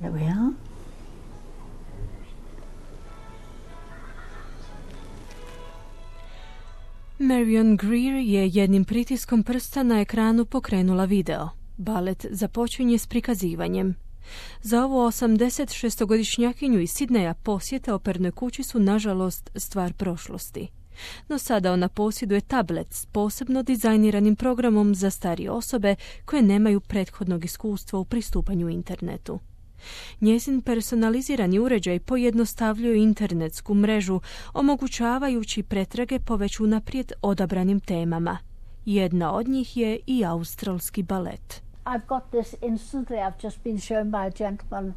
There we are. Marion Greer je jednim pritiskom prsta na ekranu pokrenula video. Balet započinje s prikazivanjem. Za ovu 86-godišnjakinju iz Sidneja posjete opernoj kući su nažalost stvar prošlosti. No sada ona posjeduje tablet s posebno dizajniranim programom za starije osobe koje nemaju prethodnog iskustva u pristupanju internetu. Njezin personalizirani uređaj pojednostavljuje internetsku mrežu, omogućavajući pretrage po već unaprijed odabranim temama. Jedna od njih je i australski balet. I've got this instantly. I've just been shown by a gentleman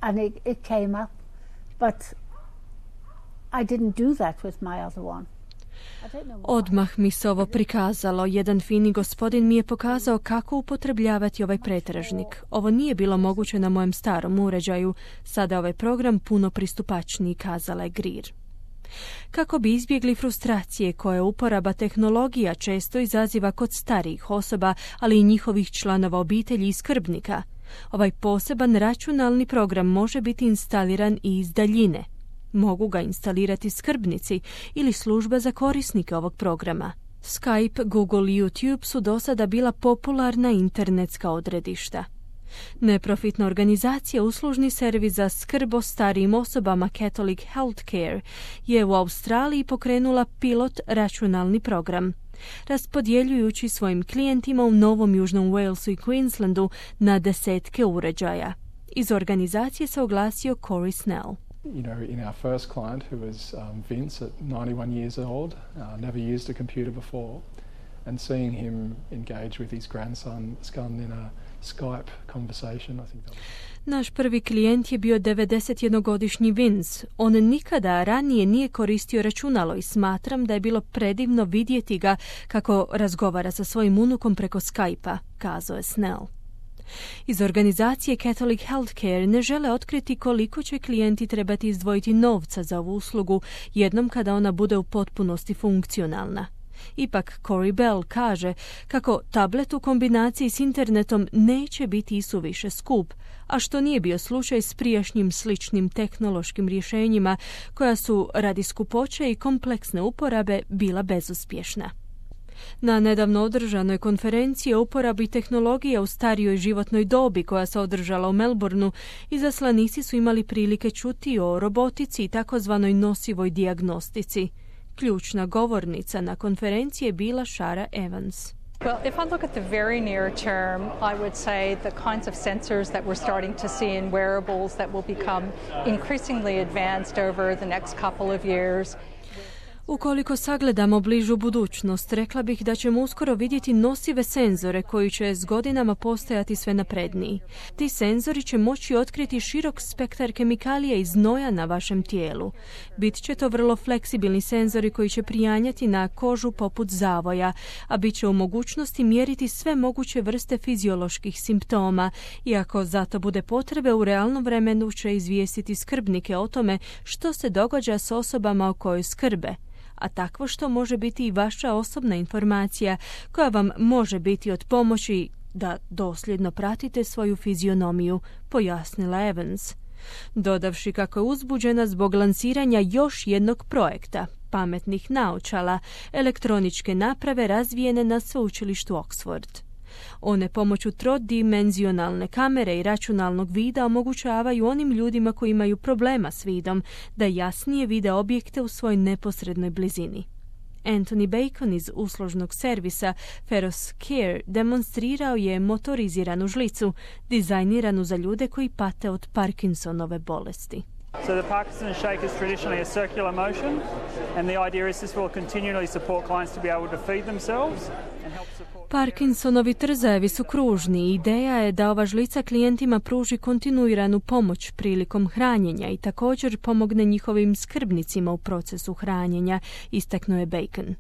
and it came up. But I didn't do that with my other one. Odmah mi se ovo prikazalo. Jedan fini gospodin mi je pokazao kako upotrebljavati ovaj pretražnik. Ovo nije bilo moguće na mojem starom uređaju. Sada je ovaj program puno pristupačniji, kazala je Greer. Kako bi izbjegli frustracije koje uporaba tehnologija često izaziva kod starijih osoba, ali i njihovih članova obitelji i skrbnika, ovaj poseban računalni program može biti instaliran i iz daljine. Mogu ga instalirati skrbnici ili služba za korisnike ovog programa. Skype, Google i YouTube su do sada bila popularna internetska odredišta. Neprofitna organizacija Uslužni servis za skrb o starijim osobama Catholic Healthcare je u Australiji pokrenula pilot računalni program, raspodjeljujući svojim klijentima u Novom Južnom Walesu i Queenslandu na desetke uređaja. Iz organizacije se oglasio Corey Snell. You know, in our first client, who was Vince at 91 years old, never used a computer before, and seeing him engage with his grandson in a Skype conversation, I think that was... Naš prvi klijent je bio 91-godišnji Vince. On nikada ranije nije koristio računalo i smatram da je bilo predivno vidjeti ga kako razgovara sa svojim unukom preko Skype-a, kazao je Snell. Iz organizacije Catholic Healthcare ne žele otkriti koliko će klijenti trebati izdvojiti novca za ovu uslugu jednom kada ona bude u potpunosti funkcionalna. Ipak Corey Bell kaže kako tablet u kombinaciji s internetom neće biti isuviše skup, a što nije bio slučaj s prijašnjim sličnim tehnološkim rješenjima koja su radi skupoće i kompleksne uporabe bila bezuspješna. Na nedavno održanoj konferenciji o uporabi tehnologije u starijoj životnoj dobi koja se održala u Melbourneu, izaslanici su imali prilike čuti o robotici i takozvanoj nosivoj dijagnostici. Ključna govornica na konferenciji je bila Shara Evans. Well, if I look at the very near term, I would say the kinds of sensors that we're starting to see in wearables that will become increasingly advanced over the next couple of years. Ukoliko sagledamo bližu budućnost, rekla bih da ćemo uskoro vidjeti nosive senzore koji će s godinama postajati sve napredniji. Ti senzori će moći otkriti širok spektar kemikalija i znoja na vašem tijelu. Bit će to vrlo fleksibilni senzori koji će prijanjati na kožu poput zavoja, a bit će u mogućnosti mjeriti sve moguće vrste fizioloških simptoma i ako zato bude potrebe u realnom vremenu će izvijestiti skrbnike o tome što se događa s osobama o kojoj skrbe. A takvo što može biti i vaša osobna informacija koja vam može biti od pomoći da dosljedno pratite svoju fizionomiju, pojasnila Evans. Dodavši kako je uzbuđena zbog lansiranja još jednog projekta, pametnih naočala, elektroničke naprave razvijene na sveučilištu Oxford. One pomoću trodimenzionalne kamere i računalnog vida omogućavaju onim ljudima koji imaju problema s vidom da jasnije vide objekte u svojoj neposrednoj blizini. Anthony Bacon iz uslužnog servisa Feros Care demonstrirao je motoriziranu žlicu, dizajniranu za ljude koji pate od Parkinsonove bolesti. So the Parkinson shake is traditionally a circular motion, and the idea is this will continually support clients to be able to feed themselves and help support... Parkinsonovi trzajevi su kružni. Ideja je da ova žlica klijentima pruži kontinuiranu pomoć prilikom hranjenja i također pomogne njihovim skrbnicima u procesu hranjenja, istaknuo je Bacon.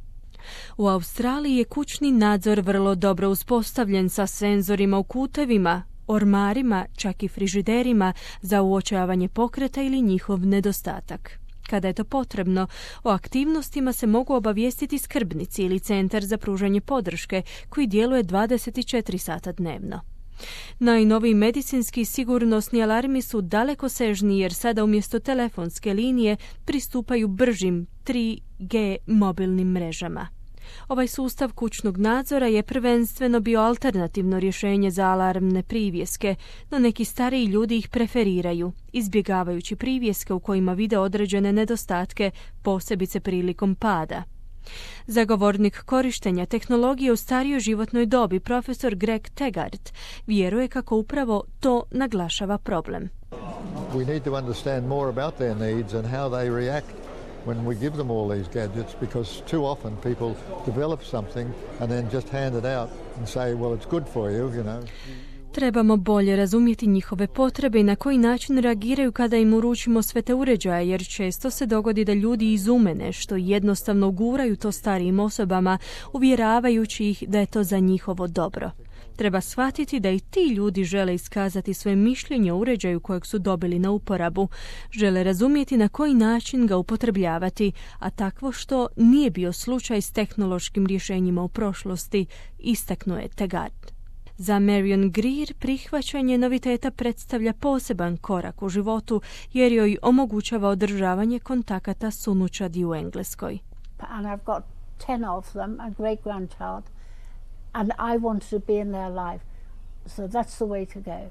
U Australiji je kućni nadzor vrlo dobro uspostavljen sa senzorima u kutevima, ormarima, čak i frižiderima za uočavanje pokreta ili njihov nedostatak. Kada je to potrebno, o aktivnostima se mogu obavijestiti skrbnici ili centar za pružanje podrške koji djeluje 24 sata dnevno. Najnoviji medicinski sigurnosni alarmi su dalekosežni jer sada umjesto telefonske linije pristupaju bržim 3G mobilnim mrežama. Ovaj sustav kućnog nadzora je prvenstveno bio alternativno rješenje za alarmne privjeske, no neki stariji ljudi ih preferiraju, izbjegavajući privjeske u kojima vide određene nedostatke, posebice prilikom pada. Zagovornik korištenja tehnologije u starijoj životnoj dobi, profesor Greg Taggart, vjeruje kako upravo to naglašava problem. We need to understand more about their needs and how they react when we give them all these gadgets, because too often people develop something and then just hand it out and say, well, it's good for you, you know. Trebamo bolje razumjeti njihove potrebe i na koji način reagiraju kada im uručimo sve te uređaje, jer često se dogodi da ljudi izume nešto i jednostavno guraju to starijim osobama, uvjeravajući ih da je to za njihovo dobro. Treba shvatiti da i ti ljudi žele iskazati svoje mišljenje o uređaju kojeg su dobili na uporabu, žele razumjeti na koji način ga upotrebljavati, a takvo što nije bio slučaj s tehnološkim rješenjima u prošlosti, istaknuje Taggart. Za Marion Greer prihvaćanje noviteta predstavlja poseban korak u životu jer joj omogućava održavanje kontakata s unučadi u Engleskoj. And I've got 10 of them, a great grandchild, and I want to be in their life. So that's the way to go.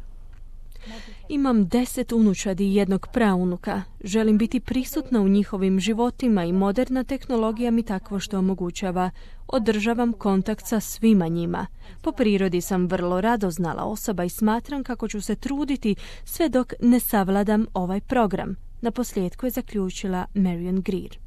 Imam 10 unučadi i jednog praunuka. Želim biti prisutna u njihovim životima i moderna tehnologija mi takvo što omogućava. Održavam kontakt sa svima njima. Po prirodi sam vrlo radoznala osoba i smatram kako ću se truditi sve dok ne savladam ovaj program. Naposljetku je zaključila Marion Greer.